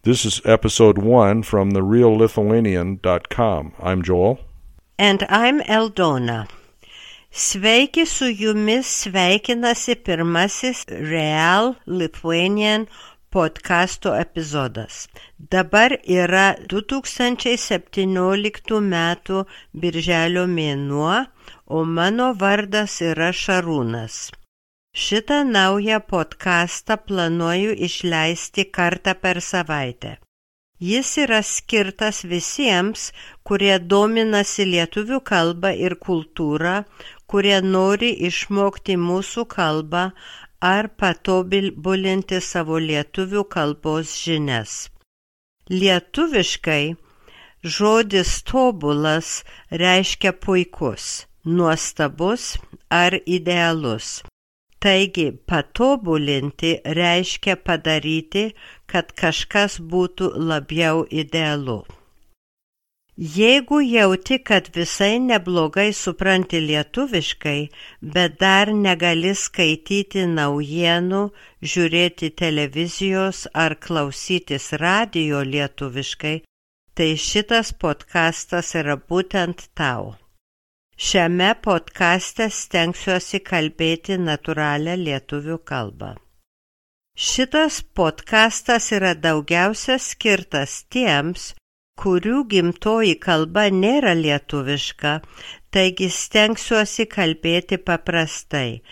This is episode 1 from thereallithuanian.com. I'm Joel. And I'm Eldona. Sveiki, su jumis sveikinasi pirmasis Real Lithuanian podcasto epizodas. Dabar yra 2017 metų birželio mėnuo, o mano vardas yra Šarūnas. Šitą naują podcastą planuoju išleisti kartą per savaitę. Jis yra skirtas visiems, kurie dominasi lietuvių kalbą ir kultūrą, kurie nori išmokti mūsų kalbą ar patobulinti savo lietuvių kalbos žinias. Lietuviškai žodis tobulas reiškia puikus, nuostabus ar idealus. Taigi, patobulinti reiškia padaryti, kad kažkas būtų labiau idealu. Jeigu jauti, kad visai neblogai supranti lietuviškai, bet dar negali skaityti naujienų, žiūrėti televizijos ar klausytis radijo lietuviškai, tai šitas podcastas yra būtent tau. Šiame podcaste stengsiuosi kalbėti natūralią lietuvių kalbą. Šitas podcastas yra daugiausia skirtas tiems, kurių gimtoji kalba nėra lietuviška, taigi stengsiuosi kalbėti paprastai,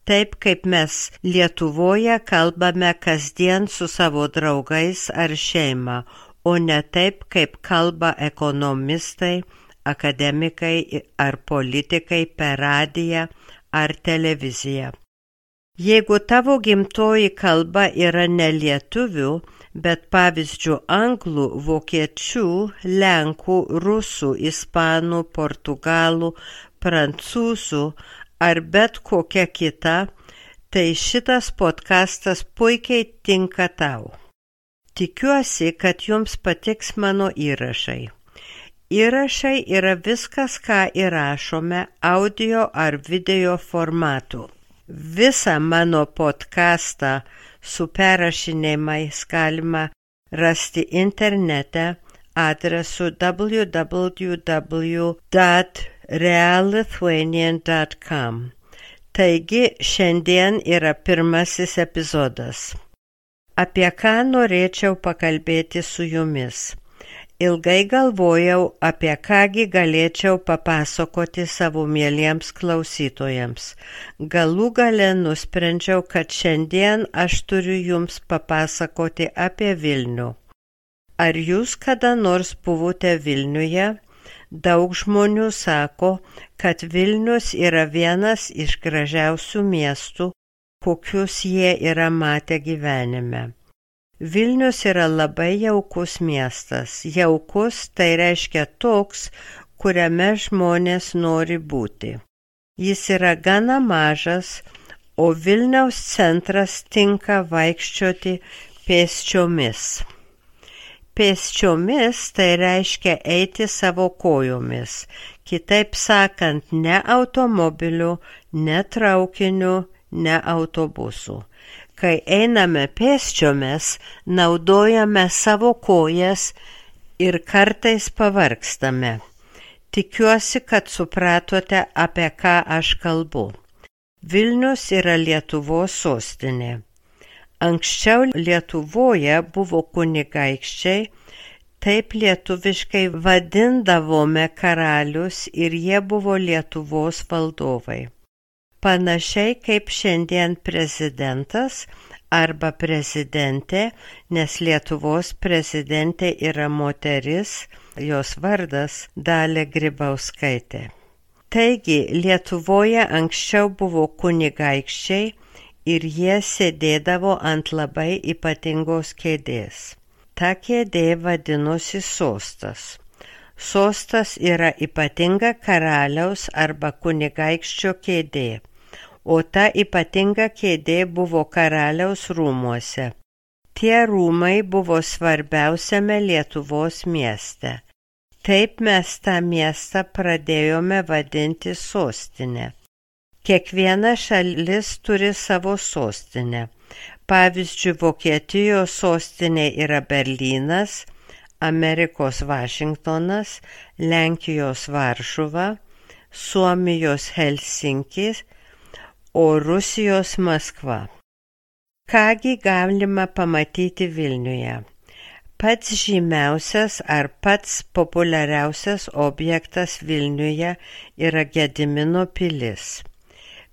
taip kaip mes Lietuvoje kalbame kasdien su savo draugais ar šeima, o ne taip kaip kalba ekonomistai, akademikai ar politikai per radiją ar televiziją. Jeigu tavo gimtoji kalba yra ne lietuvių, bet pavyzdžiui anglų, vokiečių, lenkų, rusų, ispanų, portugalų, prancūzų ar bet kokia kita, tai šitas podcastas puikiai tinka tau. Tikiuosi, kad jums patiks mano įrašai. Įrašai yra viskas, ką įrašome audio ar video formatu. Visą mano podcastą su perrašinėjimais galima rasti internete adresu www.reallithuanian.com. Taigi, šiandien yra pirmasis epizodas. Apie ką norėčiau pakalbėti su jumis? Ilgai galvojau, apie kągi galėčiau papasakoti savo mieliems klausytojams. Galų gale nusprendžiau, kad šiandien aš turiu jums papasakoti apie Vilnių. Ar jūs kada nors buvote Vilniuje? Daug žmonių sako, kad Vilnius yra vienas iš gražiausių miestų, kokius jie yra matę gyvenime. Vilnius yra labai jaukus miestas. Jaukus tai reiškia toks, kuriame žmonės nori būti. Jis yra gana mažas, o Vilniaus centras tinka vaikščioti pėsčiomis. Pėsčiomis tai reiškia eiti savo kojomis. Kitaip sakant, ne automobiliu, ne traukiniu, ne autobusu. Kai einame pėsčiomis, naudojame savo kojas ir kartais pavargstame. Tikiuosi, kad supratote, apie ką aš kalbu. Vilnius yra Lietuvos sostinė. Anksčiau Lietuvoje buvo kunigaikščiai, taip lietuviškai vadindavome karalius ir jie buvo Lietuvos valdovai. Panašiai kaip šiandien prezidentas arba prezidentė, nes Lietuvos prezidentė yra moteris, jos vardas Dalia Grybauskaitė. Taigi, Lietuvoje anksčiau buvo kunigaikščiai ir jie sėdėdavo ant labai ypatingos kėdės. Ta kėdė vadinosi sostas. Sostas yra ypatinga karaliaus arba kunigaikščio kėdė, o ta ypatinga kėdė buvo karaliaus rūmuose. Tie rūmai buvo svarbiausiame Lietuvos mieste. Taip mes tą miestą pradėjome vadinti sostinę. Kiekviena šalis turi savo sostinę. Pavyzdžiui, Vokietijos sostinė yra Berlynas, Amerikos Vašingtonas, Lenkijos Varšuva, Suomijos Helsinkis, o Rusijos Maskva. Kągi galima pamatyti Vilniuje? Pats žymiausias ar pats populiariausias objektas Vilniuje yra Gedimino pilis.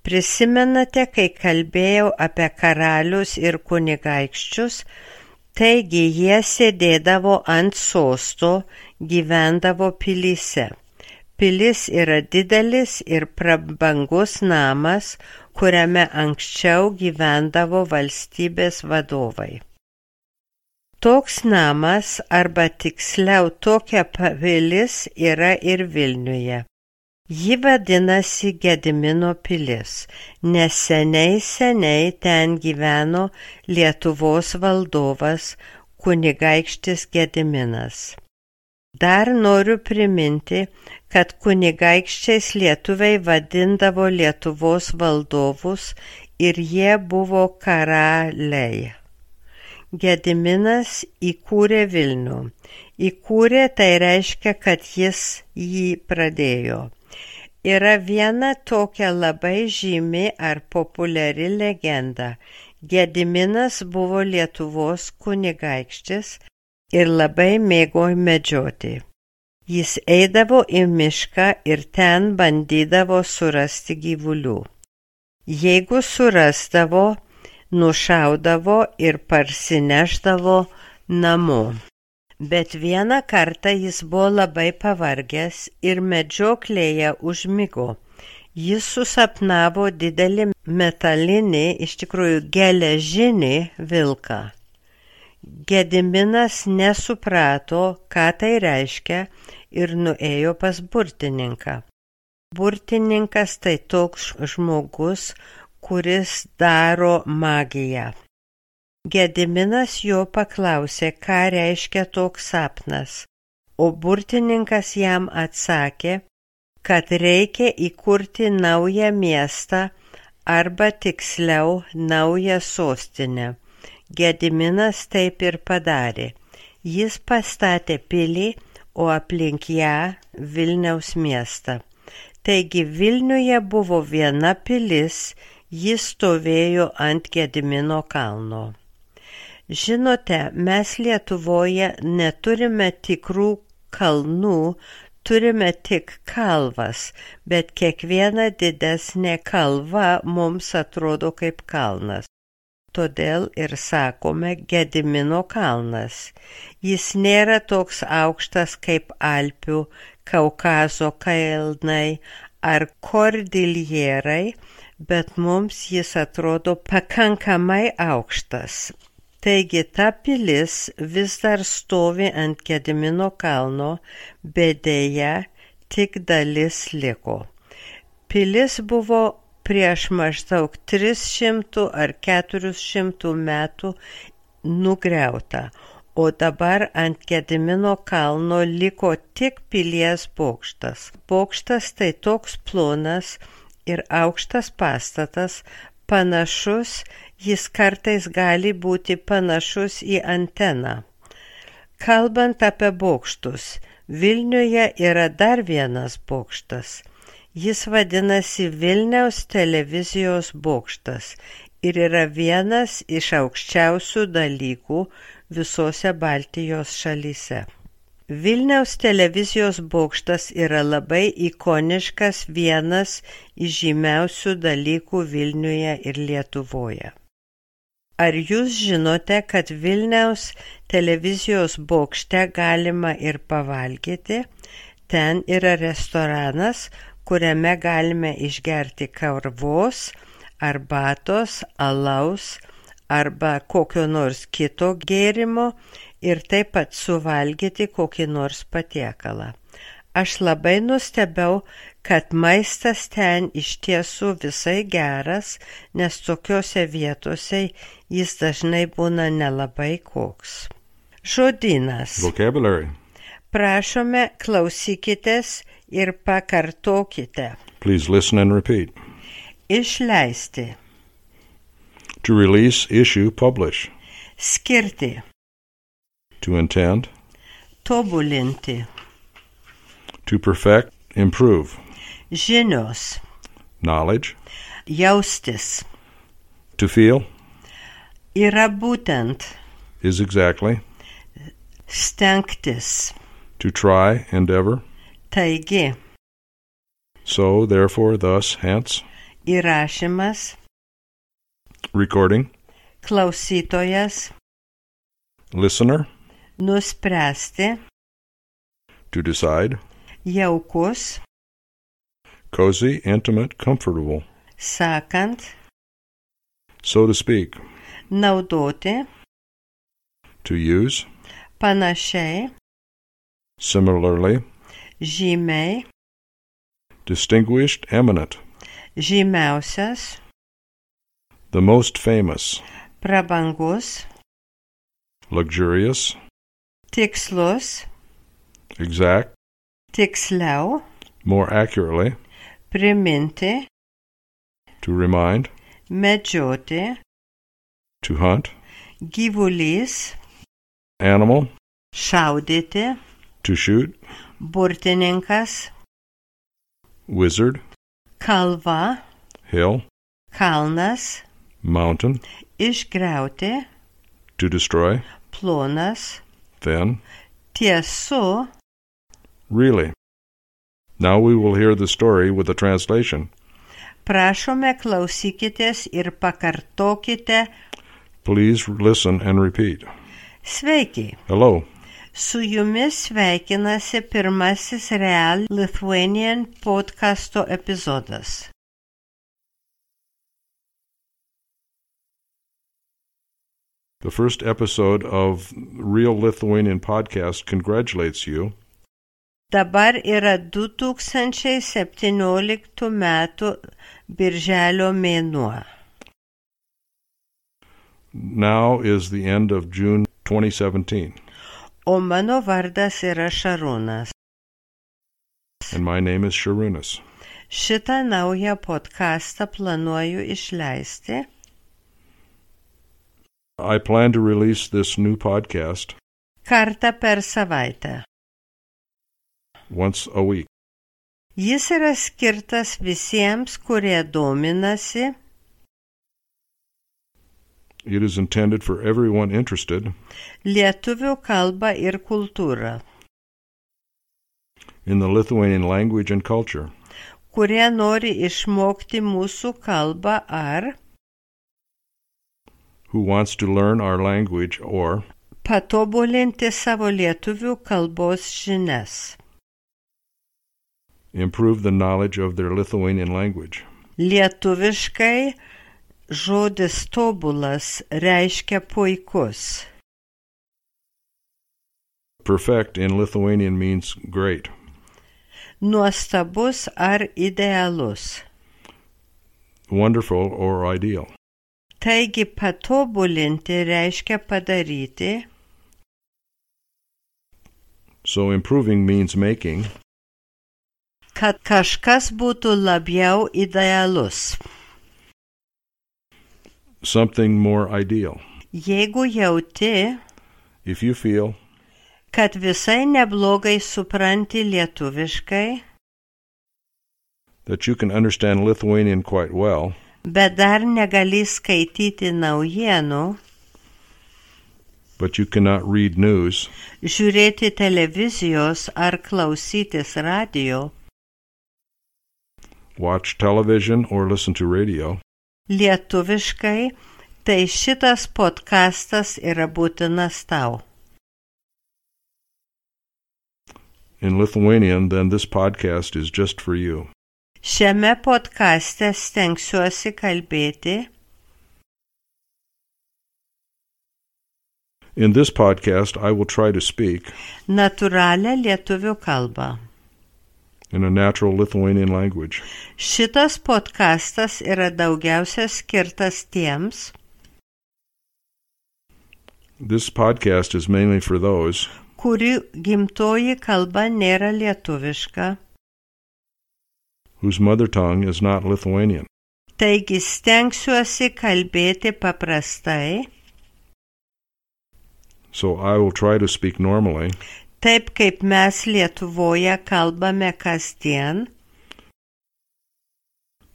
Prisimenate, kai kalbėjau apie karalius ir kunigaikščius, taigi jie sėdėdavo ant sosto, gyvendavo pilyse. Pilis yra didelis ir prabangus namas, kuriame anksčiau gyvendavo valstybės vadovai. Toks namas, arba tiksliau tokia pilis yra ir Vilniuje. Ji vadinasi Gedimino pilis, nes seniai ten gyveno Lietuvos valdovas kunigaikštis Gediminas. Dar noriu priminti, kad kunigaikščiais lietuviai vadindavo Lietuvos valdovus ir jie buvo karaliai. Gediminas įkūrė Vilnių. Įkūrė tai reiškia, kad jis jį pradėjo. Yra viena tokia labai žymi ar populiari legenda. Gediminas buvo Lietuvos kunigaikštis ir labai mėgo medžioti. Jis eidavo į mišką ir ten bandydavo surasti gyvulių. Jeigu surasdavo, nušaudavo ir parsineždavo namo. Bet vieną kartą jis buvo labai pavargęs ir medžioklėje užmigo. Jis susapnavo didelį metalinį, iš tikrųjų geležinį vilką. Gediminas nesuprato, ką tai reiškia, ir nuėjo pas burtininką. Burtininkas tai toks žmogus, kuris daro magiją. Gediminas jo paklausė, ką reiškia toks sapnas, o burtininkas jam atsakė, kad reikia įkurti naują miestą arba tiksliau naują sostinę. Gediminas taip ir padarė. Jis pastatė pilį, o aplink ją Vilniaus miestą. Taigi Vilniuje buvo viena pilis, jis stovėjo ant Gedimino kalno. Žinote, mes Lietuvoje neturime tikrų kalnų, turime tik kalvas, bet kiekviena didesnė kalva mums atrodo kaip kalnas. Todėl ir sakome Gedimino kalnas. Jis nėra toks aukštas kaip Alpių, Kaukazo kalnai ar Kordiljerai, bet mums jis atrodo pakankamai aukštas. Taigi ta pilis vis dar stovi ant Gedimino kalno, bet deja tik dalis liko. Pilis buvo prieš maždaug 300 ar 400 metų nugriauta, o dabar ant Gedimino kalno liko tik pilies bokštas. Bokštas tai toks plonas ir aukštas pastatas, panašus, jis kartais gali būti panašus į anteną. Kalbant apie bokštus, Vilniuje yra dar vienas bokštas. Jis vadinasi Vilniaus televizijos bokštas ir yra vienas iš aukščiausių dalykų visose Baltijos šalyse. Vilniaus televizijos bokštas yra labai ikoniškas, vienas iš žymiausių dalykų Vilniuje ir Lietuvoje. Ar jūs žinote, kad Vilniaus televizijos bokšte galima ir pavalgyti? Ten yra restoranas, kuriame galime išgerti kavos, arbatos, alaus arba kokio nors kito gėrimo ir taip pat suvalgyti kokį nors patiekalą. Aš labai nustebau, kad maistas ten iš tiesų visai geras, nes tokiose vietose jis dažnai būna nelabai koks. Žodynas. Vocabulary. Prašome, klausykitės ir pakartokite. Please listen and repeat. Išleisti. To release, issue, publish. Skirti. To intend. Tobulinti. To perfect, improve. Žinios. Knowledge. Jaustis. To feel. Yra būtent. Is exactly. Stengtis. To try, endeavor. Taigi. So, therefore, thus, hence. Įrašymas. Recording. Klausytojas. Listener. Nuspręsti. To decide. Jaukus. Cozy, intimate, comfortable. Sakant. So to speak. Naudoti. To use. Panašiai. Similarly. Žymiai. Distinguished, eminent. Žymiausias. The most famous. Prabangus. Luxurious. Tikslus. Exact. Tiksliau. More accurately. Priminti. To remind. Medžioti. To hunt. Gyvulys. Animal. Šaudyti. To shoot. Burtininkas. Wizard. Kalva. Hill. Kalnas. Mountain. Išgriauti. To destroy. Plonas. Thin. Tiesu. Really. Now we will hear the story with a translation. Prašome, klausykitės ir pakartokite. Please listen and repeat. Sveiki. Hello. Su jumis sveikinasi pirmasis Real Lithuanian podcasto epizodas. The first episode of Real Lithuanian Podcast congratulates you. Dabar yra 2017 metų birželio mėnuo. Now is the end of June 2017. O mano vardas yra Šarūnas. And my name is Sharunas. Šitą naują podcastą planuoju išleisti. I plan to release this new podcast Kartą per savaitę. once a week. Jis yra skirtas visiems, kurie dominasi. It is intended for everyone interested Lietuvių kalba ir kultūra, in the Lithuanian language and culture, kurie nori išmokti mūsų kalbą ar who wants to learn our language or patobulinti savo lietuvių kalbos žinias. improve the knowledge of their Lithuanian language. Lietuviškai žodis tobulas reiškia puikus. Perfect in Lithuanian means great. Nuostabus ar idealus. Wonderful or ideal. Taigi patobulinti reiškia padaryti. So improving means making Kad kažkas būtų labiau idealus. something more ideal. Jeigu jauti, If you feel kad visai neblogai supranti lietuviškai, that you can understand Lithuanian quite well, bet dar negali skaityti naujienų, but you cannot read news, žiūrėti televizijos ar klausytis radio, watch television, or listen to radio, lietuviškai, tai šitas podcastas yra būtinas tau. in Lithuanian, then this podcast is just for you. Šiame podcaste stengsiuosi kalbėti. In this podcast, I will try to speak Natūralią lietuvių kalbą. in a natural Lithuanian language. Šitas podcastas yra daugiausia skirtas tiems, This podcast is mainly for those kurių gimtoji kalba nėra lietuviška, whose mother tongue is not Lithuanian, Taigi stengsiuosi kalbėti paprastai, so I will try to speak normally, taip kaip mes Lietuvoje kalbame kasdien,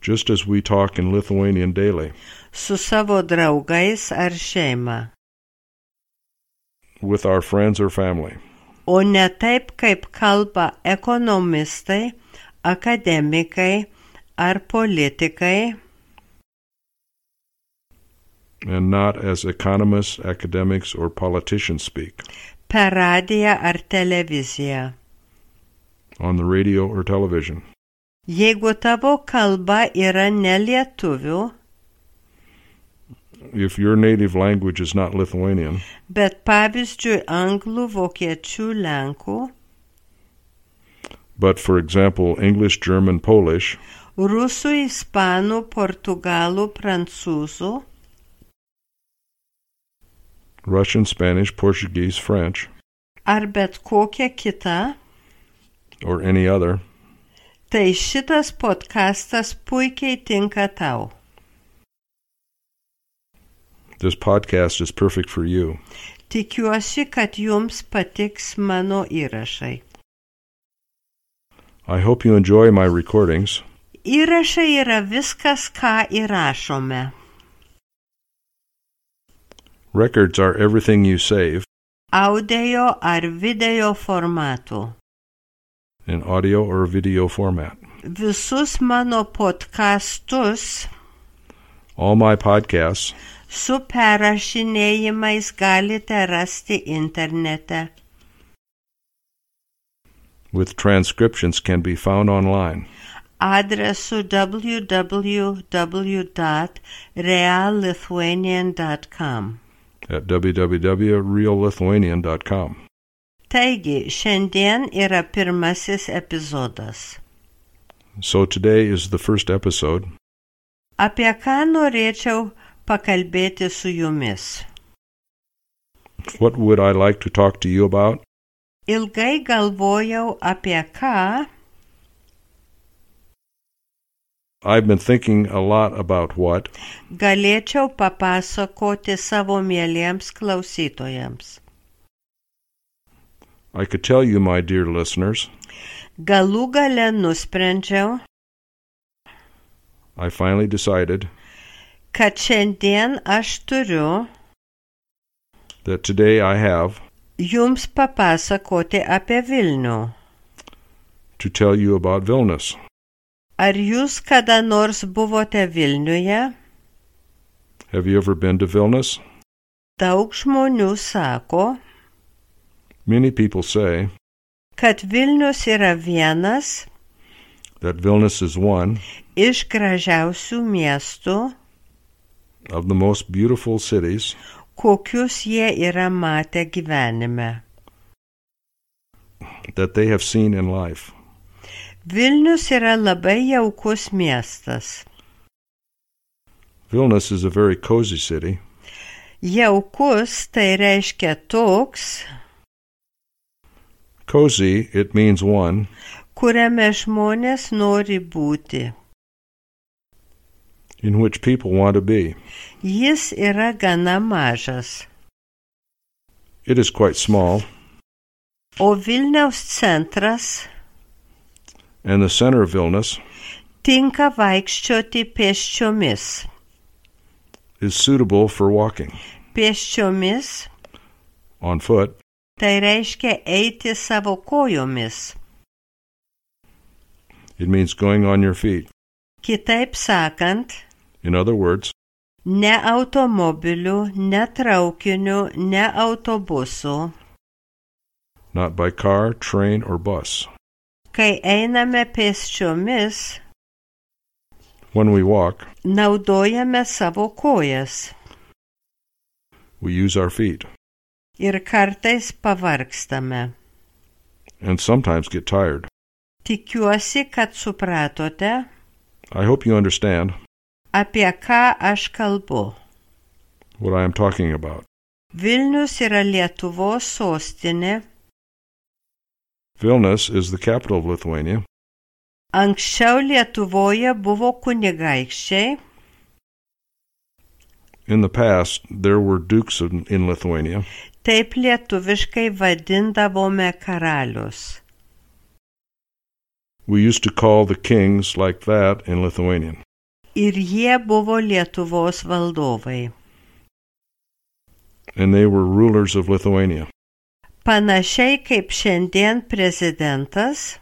just as we talk in Lithuanian daily, su savo draugais ar šeima, with our friends or family, o ne taip kaip kalba ekonomistai, akademikai ar politikai, and not as economists, academics, or politicians speak, per radiją ar televiziją. on the radio or television. Jeigu tavo kalba yra ne lietuvių, If your native language is not Lithuanian, bet pavyzdžiui anglų, vokiečių, lenkų, but for example English, German, Polish, rusų, ispanų, portugalų, prancūzų, Russian, Spanish, Portuguese, French, ar bet kokia kita, or any other, tai šitas podcastas puikiai tinka tau. this podcast is perfect for you. Tikiuosi, kad jums patiks mano įrašai. I hope you enjoy my recordings. Įrašai yra viskas, ką įrašome. Records are everything you save Audio ar video formatų. in audio or video format. Visus mano podcastus All my podcasts su perrašinėjimais galite rasti internete. with transcriptions can be found online Adresu www.reallithuanian.com. at www.reallithuanian.com. Taigi, šiandien yra pirmasis epizodas. So today is the first episode. Apie ką norėčiau pakalbėti su jumis? What would I like to talk to you about? Ilgai galvojau apie ką, I've been thinking a lot about what galėčiau papasakoti savo mieliems klausytojams. I could tell you, my dear listeners. Galų gale nusprendžiau, I finally decided kad šiandien aš turiu that today I have jums papasakoti apie Vilnių. to tell you about Vilnius. Ar jūs kada nors buvote Vilniuje? Have you ever been to Vilnius? Daug žmonių sako, Many people say kad Vilnius yra vienas that Vilnius is one iš gražiausių miestų, of the most beautiful cities kokius jie yra matę gyvenime. that they have seen in life. Vilnius yra labai jaukus miestas. Vilnius is a very cozy city. Jaukus tai reiškia toks, Cozy, it means one, kuriame žmonės nori būti. in which people want to be. Jis yra gana mažas, It is quite small, o Vilniaus centras and the center of Vilnius tinka vaikščioti pėsčiomis. is suitable for walking Pėsčiomis on foot. tai reiškia eiti savo kojomis. It means going on your feet. Kitaip sakant, In other words, ne automobiliu, ne traukiniu, ne autobusu. not by car, train, or bus. Kai einame pėsčiomis, When we walk, naudojame savo kojas we use our feet ir kartais pavargstame. and sometimes get tired. Tikiuosi, kad supratote, I hope you understand apie ką aš kalbu. what I am talking about. Vilnius yra Lietuvos sostinė. Vilnius is the capital of Lithuania. Anksčiau Lietuvoje buvo kunigaikščiai, In the past, there were dukes in Lithuania. Taip lietuviškai vadindavome karalius. We used to call the kings like that in Lithuanian. Ir jie buvo Lietuvos valdovai. And they were rulers of Lithuania. Panašiai kaip šiandien prezidentas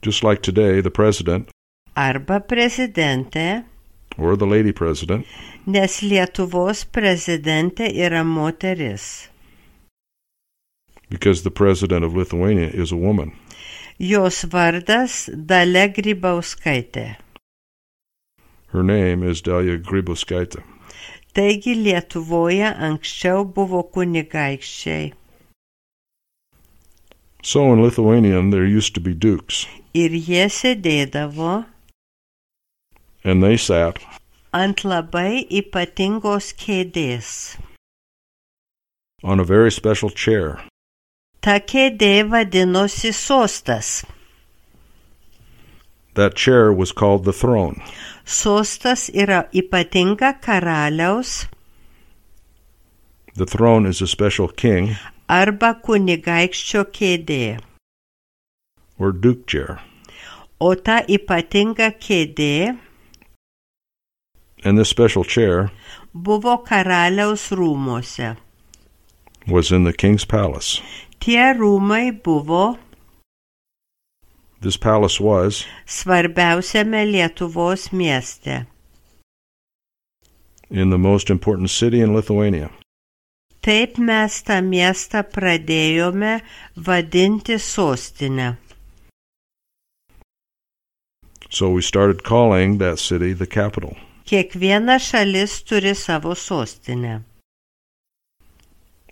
Just like today, the president, arba prezidentė, or the lady president, nes Lietuvos prezidentė yra moteris. because the president of Lithuania is a woman. Jos vardas Dalia Grybauskaitė. Her name is Dalia Grybauskaitė. Taigi Lietuvoje anksčiau buvo kunigaikščiai. So in Lithuanian, there used to be dukes, Ir jie sėdėdavo and they sat ant labai ypatingos kėdės. on a very special chair. Ta kėdė vadinosi sostas. That chair was called the throne. Sostas yra ypatinga karaliaus The throne is a special king arba kunigaikščio kėdė. or duke chair. O ta ypatinga kėdė And this special chair buvo karaliaus rūmuose. was in the king's palace. Tie rūmai buvo This palace was svarbiausiame Lietuvos mieste. in the most important city in Lithuania. Taip mes tą miestą pradėjome vadinti sostinę. So we started calling that city the capital. Kiekviena šalis turi savo sostinę.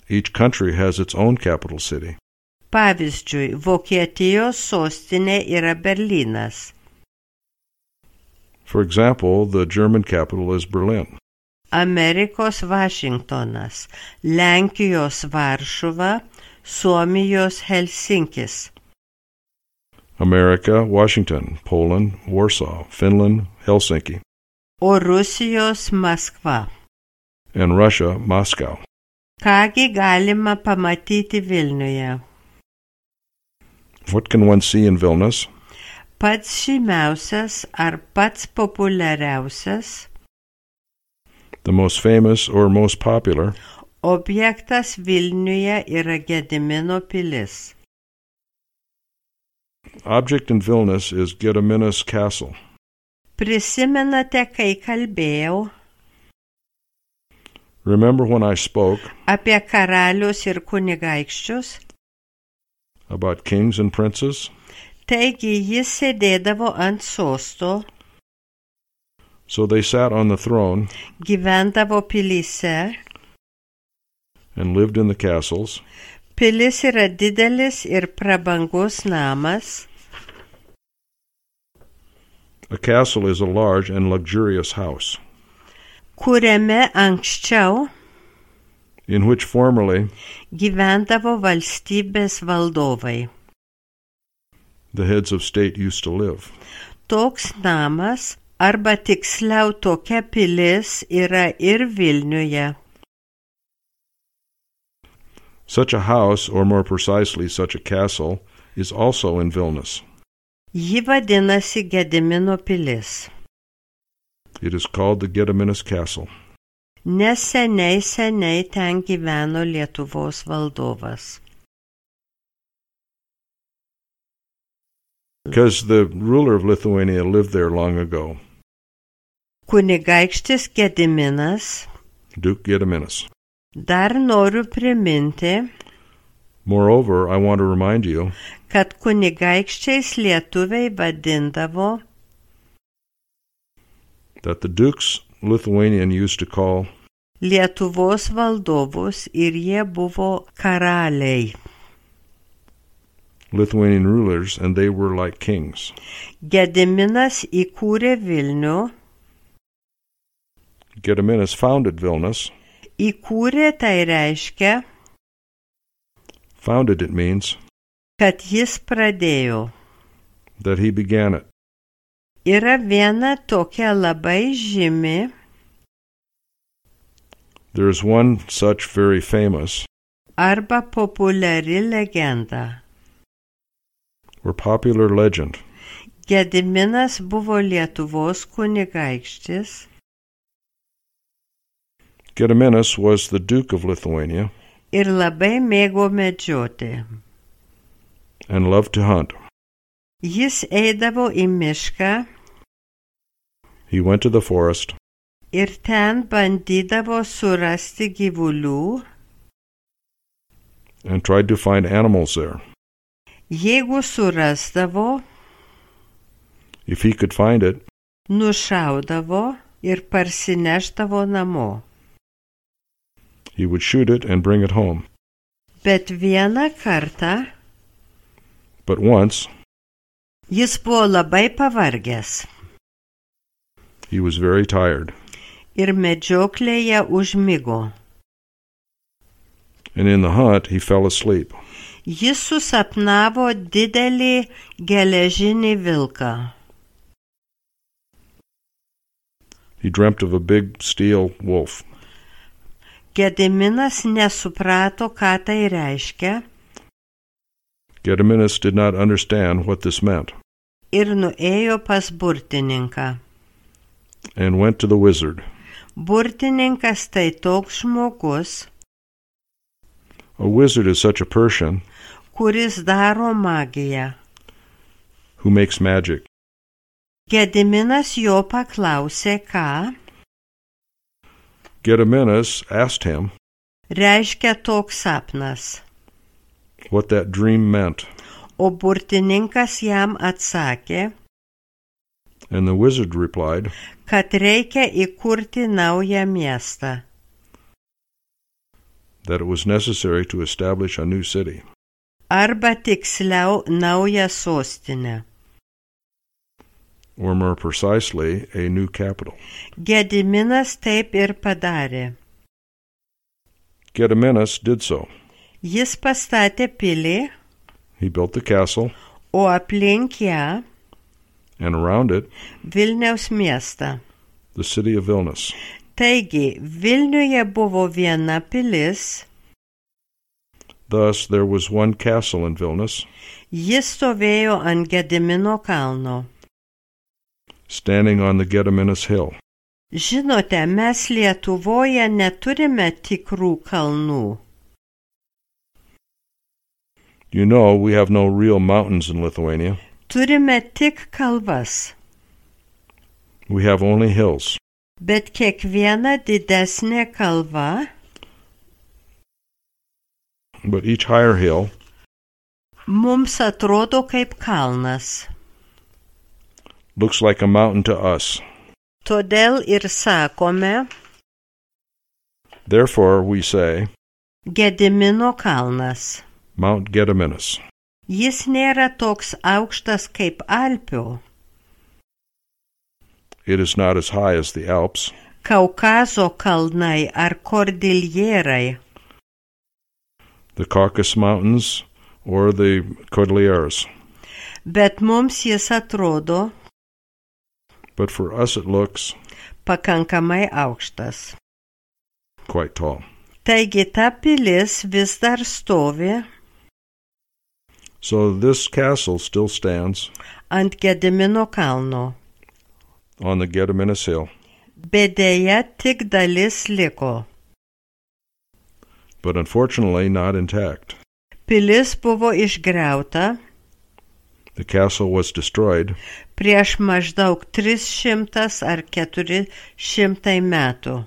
Each country has its own capital city. Pavyzdžiui, Vokietijos sostinė yra Berlynas. For example, the German capital is Berlin. Amerikos Vašingtonas, Lenkijos Varšuva, Suomijos Helsinkis. America, Washington, Poland, Warsaw, Finland, Helsinki, O Rusijos Maskva. and Russia, Moscow. Kągi galima pamatyti Vilniuje? What can one see in Vilnius? Pats žymiausias ar pats populiariausias The most famous or most popular objektas Vilniuje yra Gedimino pilis. object in Vilnius is Gediminas Castle. Prisimenate, kai kalbėjau Remember when I spoke apie karalius ir kunigaikščius? about kings and princes? Taigi jis sėdėdavo ant sosto, So they sat on the throne gyvendavo pilyse. and lived in the castles. Pilis yra didelis ir prabangus namas. A castle is a large and luxurious house, Kuriame anksčiau in which formerly gyvendavo valstybės valdovai. the heads of state used to live. Toks namas, arba tiksliau tokia pilis, yra ir Vilniuje. Such a house, or more precisely, such a castle, is also in Vilnius. Ji vadinasi Gedimino pilis. It is called the Gediminas Castle, Nes seniai ten gyveno Lietuvos valdovas. because the ruler of Lithuania lived there long ago, Kunigaikštis Gediminas, Duke Gediminas. dar noriu priminti, Moreover, I want to remind you kad kunigaikščiais lietuviai vadindavo that the dukes Lithuanian used to call Lietuvos valdovus ir jie buvo karaliai. Lithuanian rulers, and they were like kings. Gediminas įkūrė Vilnių. Gediminas founded Vilnius. Įkūrė tai reiškia, Founded, it means kad jis pradėjo. that he began it. Yra viena tokia labai žymi There is one such very famous arba populiari legenda. or popular legend. Gediminas buvo Lietuvos kunigaikštis Gediminas was the Duke of Lithuania ir labai mėgo medžioti. and loved to hunt. Jis eidavo į mišką He went to the forest ir ten bandydavo surasti gyvulių. and tried to find animals there. Jeigu surasdavo, If he could find it, nušaudavo ir parsineždavo namo. he would shoot it and bring it home. Bet vieną kartą But once, jis buvo labai pavargęs he was very tired, ir medžioklėje užmigo. and in the hunt he fell asleep. Jis susapnavo didelį geležinį vilką. He dreamt of a big steel wolf. Gediminas nesuprato, ką tai reiškia, Gediminas did not understand what this meant ir nuėjo pas burtininką. and went to the wizard. Burtininkas tai toks žmogus, A wizard is such a person kuris daro magiją. who makes magic. Gediminas jo paklausė, ką Gediminas asked him reiškia toks sapnas, what that dream meant, o burtininkas jam atsakė, and the wizard replied kad reikia įkurti naują miestą. that it was necessary to establish a new city, Arba tiksliau naują sostinę. or more precisely, a new capital. Gediminas taip ir padarė. Gediminas did so. Jis pastatė pilį, He built the castle, o aplink ją and around it, Vilniaus miestą. the city of Vilnius. Taigi, Vilniuje buvo viena pilis, Thus, there was one castle in Vilnius, jis stovėjo ant Gedimino kalno. standing on the Gediminas hill. Žinote, mes Lietuvoje neturime tikrų kalnų. You know, we have no real mountains in Lithuania. Turime tik kalvas, We have only hills. bet kiekviena didesnė kalva But each higher hill mums atrodo kaip kalnas. looks like a mountain to us. Todėl ir sakome Therefore, we say, Gedimino kalnas. Mount Gediminas. Jis nėra toks aukštas kaip Alpių, It is not as high as the Alps, Kaukazo kalnai ar Kordiljerai, the Caucasus Mountains, or the Cordilleras. bet mums jis atrodo But for us it looks pakankamai aukštas. quite tall. Taigi ta pilis vis dar stovi So this castle still stands ant Gedimino kalno, on the Gediminas hill, bet dėja tik dalis liko. but unfortunately not intact. Pilis buvo išgriauta The castle was destroyed prieš maždaug 300 ar 400 metų,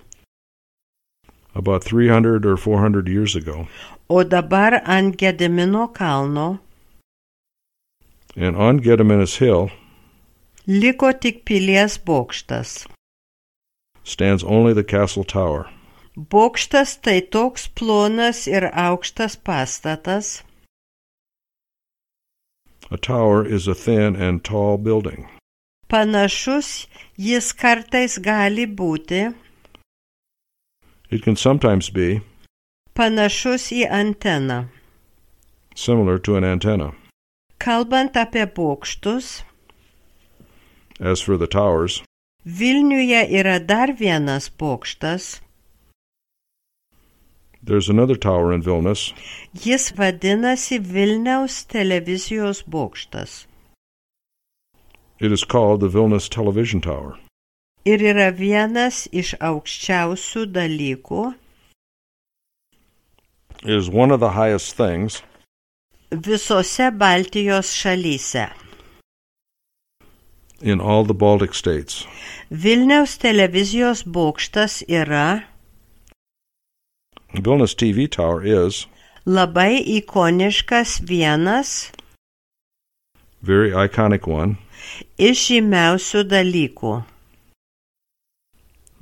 about 300 or 400 years ago, o dabar ant Gedimino kalno and on Gediminas hill liko tik pilies bokštas. stands only the castle tower. Bokštas tai toks plonas ir aukštas pastatas, A tower is a thin and tall building. panašus jis kartais gali būti, It can sometimes be panašus į anteną. similar to an antenna. Kalbant apie bokštus, As for the towers, Vilniuje yra dar vienas bokštas, There's another tower in Vilnius. Jis vadinasi Vilniaus televizijos bokštas. It is called the Vilnius Television Tower. Ir yra vienas iš aukščiausių dalykų It is one of the highest things visose Baltijos šalyse. in all the Baltic states. Vilniaus televizijos bokštas yra Vilnius TV Tower is labai ikoniškas vienas very iconic one iš žymiausių dalykų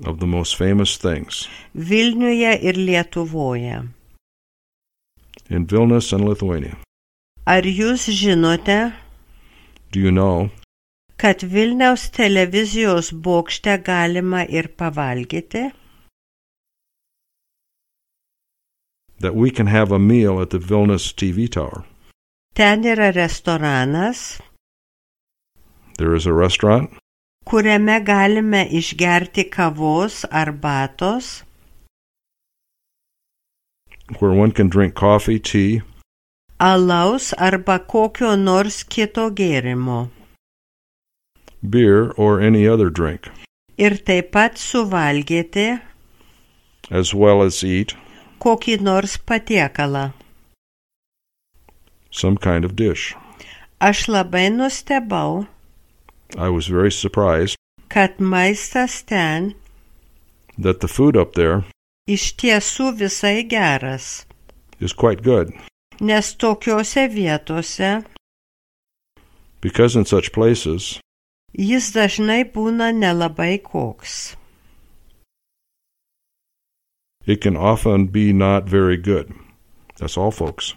of the most famous things Vilniuje ir Lietuvoje. in Vilnius and Lithuania. Ar jūs žinote, Do you know kad Vilniaus televizijos bokšte galima ir pavalgyti? that we can have a meal at the Vilnius TV Tower? Ten yra restoranas, There is a restaurant kuriame galime išgerti kavos, arbatos, where one can drink coffee, tea, alaus arba kokio nors kito gėrimo. beer, or any other drink, Ir taip pat suvalgyti as well as eat kokį nors patiekalą. some kind of dish. Aš labai nustebau, I was very surprised kad maistas ten that the food up there iš tiesų visai geras, is quite good, nes tokiose vietose because in such places jis dažnai būna nelabai koks. it can often be not very good. That's all, folks.